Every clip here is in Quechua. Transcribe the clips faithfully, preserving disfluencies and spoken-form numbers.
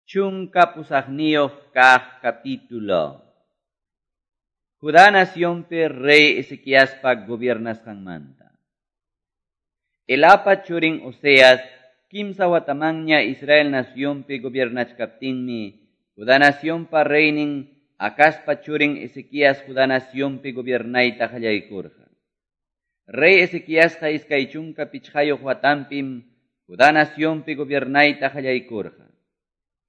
Chunka pusaqniyuq kaq capítulo. Judá nacionpi rey Ezequiaspa gobiernasqanmanta. Elapa churin Oseas kimsa watamanña Israel nacionpi gobiernachkaptinmi Judá nacionpa reynin Acazpa churin Ezequías Judá nacionpi gobiernayta qallaykurqa. Rey Ezequiasqa iskay chunka pichqayuq watanpim Judá nacionpi gobiernayta qallaykurqa.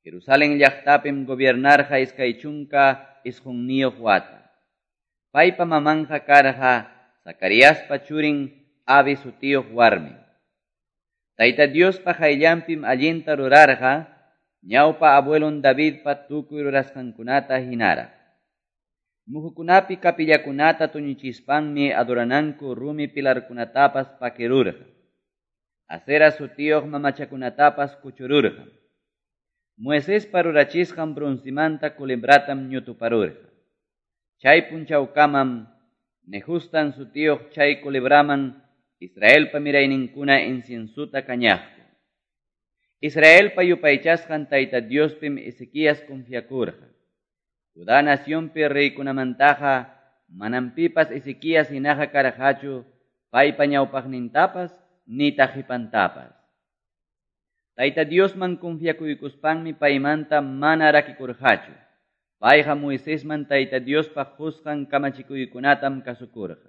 Jerusalén llaqtapim gobiernarqa iskay chunka isqunniyuq wata. Paypa mamanja karqa Zacariaspa churin Abi sutiyuq warmi. Tayta Diospa qayllanpim allinta rurarqa ñawpa abuelon Davidpa tukuy rurasqankunata hinaraq. Muhukunapi kapillakunata tuñichispanmi adorananku rumi pilarkunatapas pakirurqa. Asera sutiyuq mamachakunatapas kuchururqa. Moisespa rurachisqan broncimanta culebratam ñutuparurqa. Chay punchawkamam Nehustan sutiyuq chay culebraman Israelpa mirayninkuna inciensuta kañaqku. Israelpa yupaychasqan Tayta Diospim Ezequías confiakurqa. Judá nacionpi reykunamantaqa manam pipas Ezequías hinaqa karqachu paypa ñawpaqnintapas nitaq qipantapas. Tayta Diosman confiakuykuspanmi paymanta mana rakikurqachu. Payqa Moisesman Tayta Diospa qusqan kamachikuykunatam kasukurqa.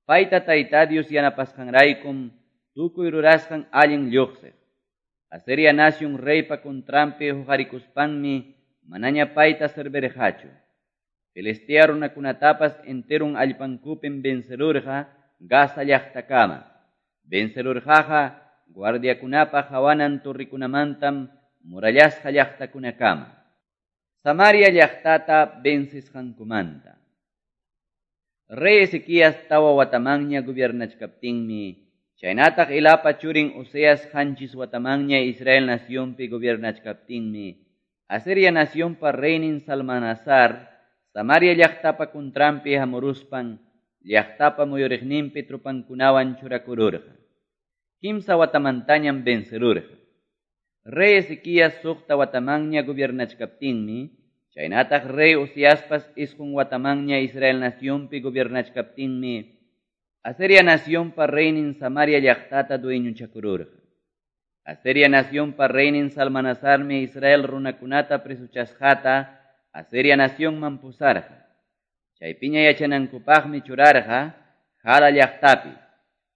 Payta Tayta Dios yanapasqanraykum tukuy rurasqan allin lluqsiq. Asiria nación reypa contranpi huqarikuspanmi manaña payta servirqachu. Filistea runakunatapas enterun allpankupim vencerurqa Gaza llaqtakama. Vencerurqaqa guardiakunapa hawanan torrikunamantam murallasqa llaqtakunakama. Samaria llaqtata vencisqankumanta. Rey Ezequías tawa watamanña gobiernachkaptinmi, chaynataq Elapa churin Oseas qanchis watamanña Israel nacionpi gobiernachkaptinmi, Asiria nacionpa reynin Salmanasar, Samaria llaqtapa contranpi hamuruspan, llaqtapa muyuriqninpi tropankunawan churakururqa. Kimsa watamantañam vencerurqa. Rey Ezequías suqta watamanña gobiernachkaptinmi, chaynataq rey Oseaspas isqun watamanña Israel nacionpi gobiernachkaptinmi, Asiria nacionpa reynin Samaria llaqtata dueñochakururqa. Asiria nacionpa reynin Salmanasarmi Israel runakunata presuchasqata Asiria nacionman pusarqa. Chaypiña yachanankupaqmi churarqa Jala llaqtapi,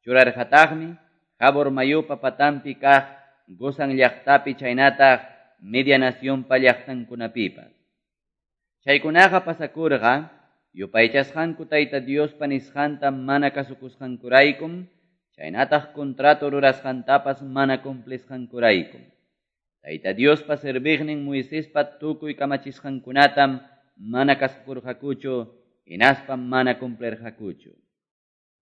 churarqataqmi Jabor mayupa patanpi kaq Gozan llaqtapi chaynataq Media nacionpa llaqtankunapipas. Chaykunaqa pasakurqa yupaychasqanku Tayta Diospa nisqanta mana kasukusqankuraykum, chaynataq contrato rurasqantapas mana cumplisqankuraykum. Tayta Diospa serviqnin Moisespa tukuy kamachisqankunatam mana kasukurqakuchu, hinaspam mana cumplirqakuchu.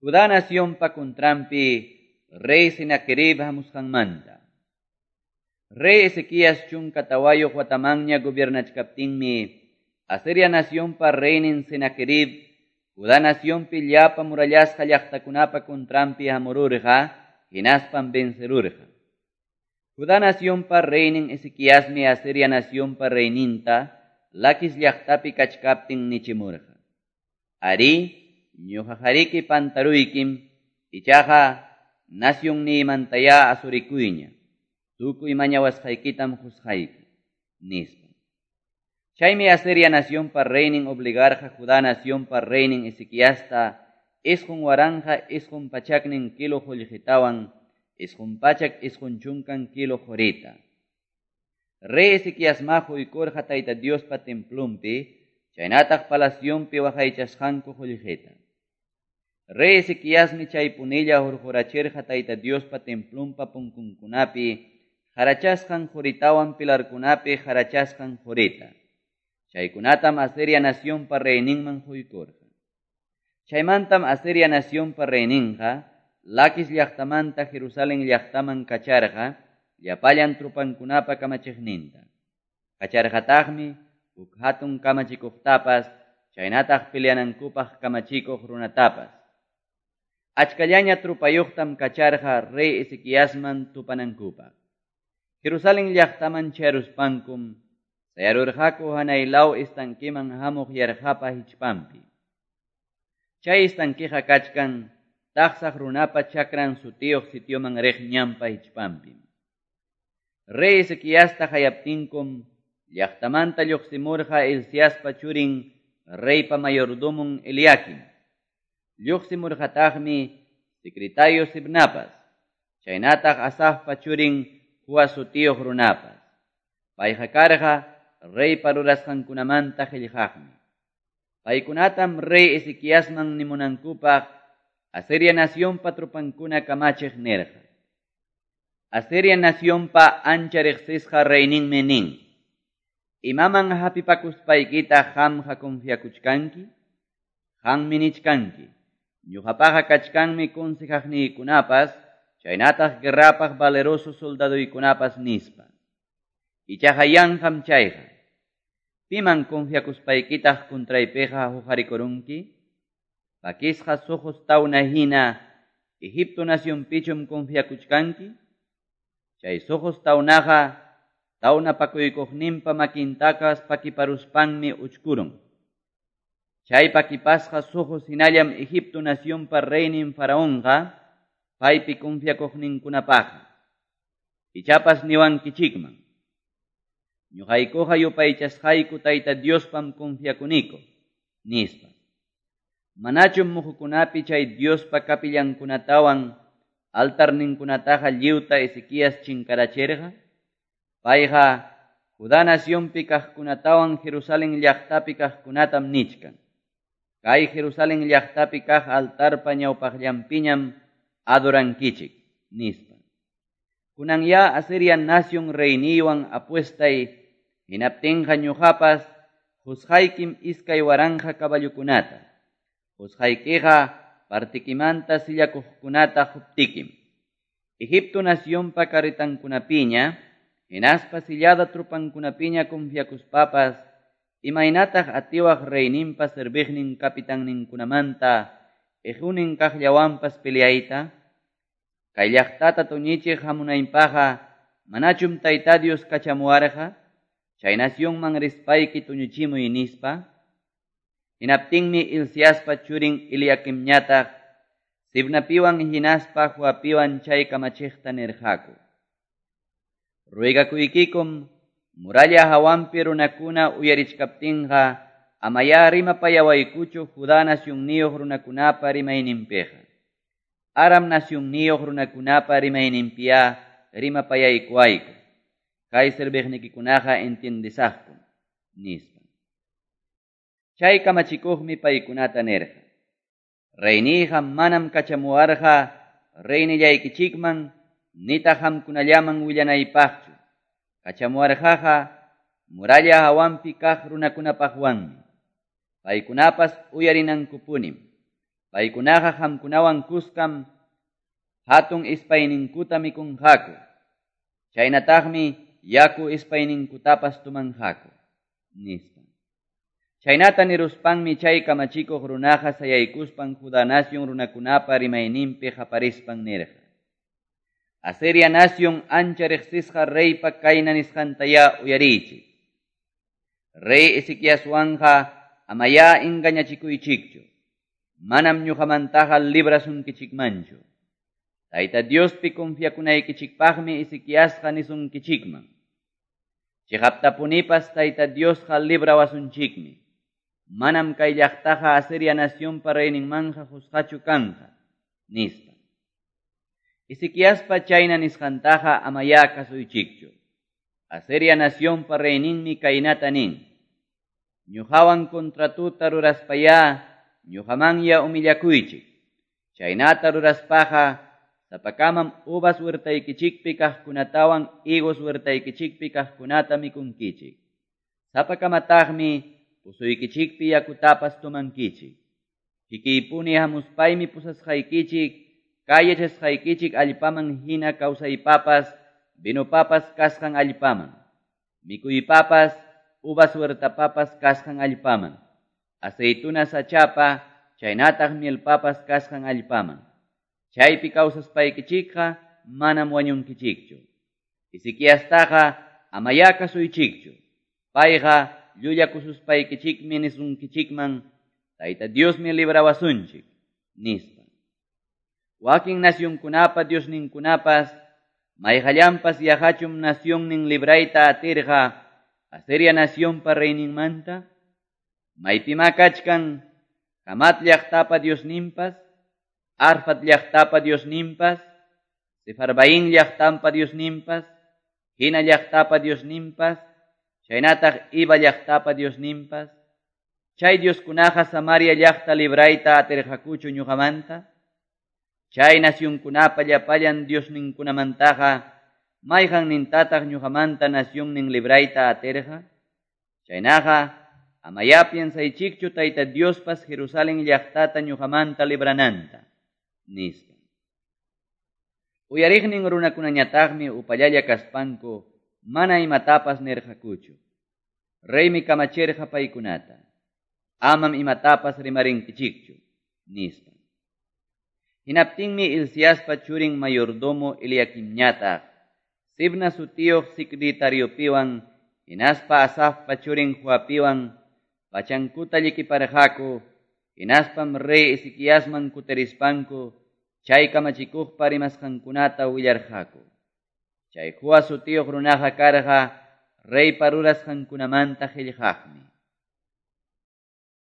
Judá nacionpa contranpi rey Senaquerib hamusqanmanta. Rey Ezequías chunka tawayuq watamanña gobiernachkaptinmi, Asiria nacionpa reynin Senaquerib, Judá nacionpi llapa murallasqa llaqtakunapa contranpi hamururqa, hinaspam vencerurqa. Judá nacionpa reynin Ezequiasmi Asiria nacionpa reyninta Laquis llaqtapi kachkaptin nichimurqa. Ari, ñuqaqariki pantaruykim, ichaqa nacionniymantayá asurikuyña, tukuy mañawasqaykitam qusqayki, nispa. Chaymi Asiria nacionpa reynin obligarqa Judá nacionpa reynin Ezequiasta isqun waranja isqun pachaknin kilo qullqitawan isqun pachak isqun chunkan kilo qurita. Rey Ezequiasma quykurqa Tayta Diospa templonpi, chaynataq palacionpi waqaychasqanku qullqita. Rey Ezequiasmi chaypunilla hurqurachirqa Tayta Diospa templonpa punkunkunapi harachasqan quritawan pilarkunapi harachasqan qurita. Chaykunatam Asiria nacionpa reyninman quykurqa. Chaymantam Asiria nacionpa reyninqa Laquis llaqtamanta Jerusalén llaqtaman kacharqa llapallan tropankunapa kamachiqninta. Kacharqataqmi huk hatun kamachikuqtapas chaynataq peleanankupaq kamachikuq runatapas. Achkallaña tropayuqtam kacharqa rey Ezequiasman tupanankupaq. Jerusalén llaqtaman chayaruspankum sayarurqaku hanay law estanqueman hamuq yarqapa hichpanpi. Chay estanqueqa kachkan taqsaq runapa chakran sutiyuq sitioman riq ñanpa hichpanpi. Rey Ezequiasta hayaptinkum llaqtamanta lluqsimurqa Hilciaspa churin reypa mayordomon Eliakim. Lluqsimurqataqmi secretario Sibnapas, chaynataq Asafpa churin Joa sutiyuq runapas. Payqa karqa reypa rurasqankunamanta qillqaqmi. Paykunatam rey Ezequiasman nimunankupaq Asiria nacionpa tropankuna kamachiq nirqa. Asiria nacionpa ancha riqsisqa reyninmi nin: Imaman hapipakuspaykita qamqa confiakuchkanki? Qammi nichkanki: Ñuqapaqa kachkanmi consejaqniykunapas, chaynataq guerrapaq valeroso soldaduykunapas nispa. Ichaqa yanqam chayqa. Piman confiakuspaykitaq contraypiqa huqarikurunki? Pakisqa suqus tawna hina Egipto nacionpichum confiakuchkanki? Chay suqus tawnaqa tawna pakuykuqninpa makintakas pakiparuspanmi uchkurun. Chay pakipasqa suqus hinallam Egipto nacionpa reynin faraonqa paypi confiakuqninkunapaqqa. Ichapas niwankichikman: Ñuqaykuqa yupaychasqayku Tayta Diospam confiakuniku, nispa. Manachum muhukunapi chay Diospa kapillankunatawan altarninkunataqa lliwta Ezequías chinkarachirqa? Payqa Judá nacionpi kaqkunatawan Jerusalén llaqtapi kaqkunatam nichkan: Kay Jerusalén llaqtapi kaq altarpa ñawpaqllanpiñam adorankichik, nispa. Kunanya Asiria nación reyniywan apuestay, hinaptinqa ñuqapas qusqaykim iskay waranqa caballokunata. Qusqaykiqa partikimanta sillakuqkunata quptikim. Egipto nacionpa carretankunapiña, hinaspa sillada tropankunapiña confiakuspapas, imaynataq atiwaq reyninpa serviqnin capitanninkunamanta ejunin kaqllawanpas peleayta? Kay llaqtata tuñichiq hamunaypaqqa manachum Tayta Dios kachamuwarqa? Chay nacionman rispayki tuñuchimuy nispa. Hinaptinmi Hilciaspa churin Eliakimñataq Sibnapiwan hinaspa Joapiwan chay kamachiqta nirqaku: Ruegakuykikum muralla hawanpi runakuna uyarichkaptinqa amaya rimapayawaykuchu Judá nacionniyuq runakunapa rimayninpiqa. Aram nacionniyuq runakunapa rimayninpiya rimapayaykuwayku. Kay serviqnikikunaqa entiendesaqkum, nispa. Chay kamachikuqmi paykunata nirqa: Reyniyqa manam kachamuwarqa reynillaykichikman nitaq qamkunallaman willanaypaqchu. Kachamuwarqaqa muralla hawanpi kaq runakunapaqwanmi. Paykunapas uyarinankupunim. Paykunaqa qamkunawan kuskam hatun ispayninkuta mikunqaku. Chaynataqmi yaku ispayninkutapas tumanqaku, nispa. Chaynata niruspanmi chay kamachikuq runaqa sayaykuspan Judá nación runakunapa rimayninpi qaparispan nirqa: Asiria nación ancha riqsisqa reypa kayna nisqantaya uyariychik. Rey Ezequiaswanqa amaya engañachikuychikchu. Manam ñuqamantaqa librasunkichikmanchu. Tayta Diospi confiakunaykichikpaqmi Ezequiasqa nisunkichikman: Chiqaptapunipas Tayta Diosqa librawasunchikmi. Manam kay llaqtaqa Asiria nacionpa reyninmanja qusqachu kanqa, nispa. Ezequiaspa chayna nisqantaqa amaya kasuychikchu. Asiria nacionpa reyninmi kaynata nin: Ñuqawan contratuta ruraspaya ñuqamanya humillakuychik. Chaynata ruraspaqa sapakamam uvas huertaykichikpi kaqkunatawan higos huertaykichikpi kaqkunata mikunkichik. Sapakamataqmi pusuykichikpi yakutapas tumankichik. Kikiypuni hamuspaymi pusasqaykichik, kay yachasqaykichik allpaman hina kawsaypapas, vinopapas kasqan allpaman, mikuypapas, uvas huertapapas kasqan allpaman, aceituna sachapa, chaynataq mielpapas kasqan allpaman. Chaypi kawsaspaykichikqa manam wañunkichikchu. Ezequiastaqa amayá kasuychikchu. Payqa llullakususpaykichikmi nisunkichikman, Tayta Diosmi librawasunchik, nispa. Wakin nacionkunapa diosninkunapas, mayqallanpas yaqachum nacionnin librayta atirqa Asiria nacionpa reyninmanta? Maypimá kachkan Hamat llaqtapa diosninpas, Arfad llaqtapa diosninpas, Sefarvaim llaqtampa diosninpas, Hena llaqtapa diosninpas, chaynataq Iva llaqtapa diosninpas? Chay dioskunaqa Samaria llaqta librayta atirqakuchu ñuqamanta? Chay nacionkunapa llapallan diosninkunamantaqa, mayqannintataq ñuqamanta nacionnin librayta atirqa? Chaynaqa, amayá piensaychikchu Tayta Diospas Jerusalén llaqtata ñuqamanta librananta, nispa. Uyariqnin runakunañataqmi upallalla kaspanku mana imatapas nirqakuchu. Reymi kamachirqa paykunata: Amam imatapas rimarinkichikchu, nispa. Hinaptinmi Hilciaspa churin mayordomo Eliaquimñataq, Sebna sutiyuq secretariopiwan, hinaspa Asafpa churin Joapiwan, pachankuta llikiparqaku, hinaspam rey Ezequiasman kutirispanku, chay kamachikuqpa rimasqankunata willarqaku. Chay Joa sutiyuq runaqa karqa reypa rurasqankunamanta qillqaqmi.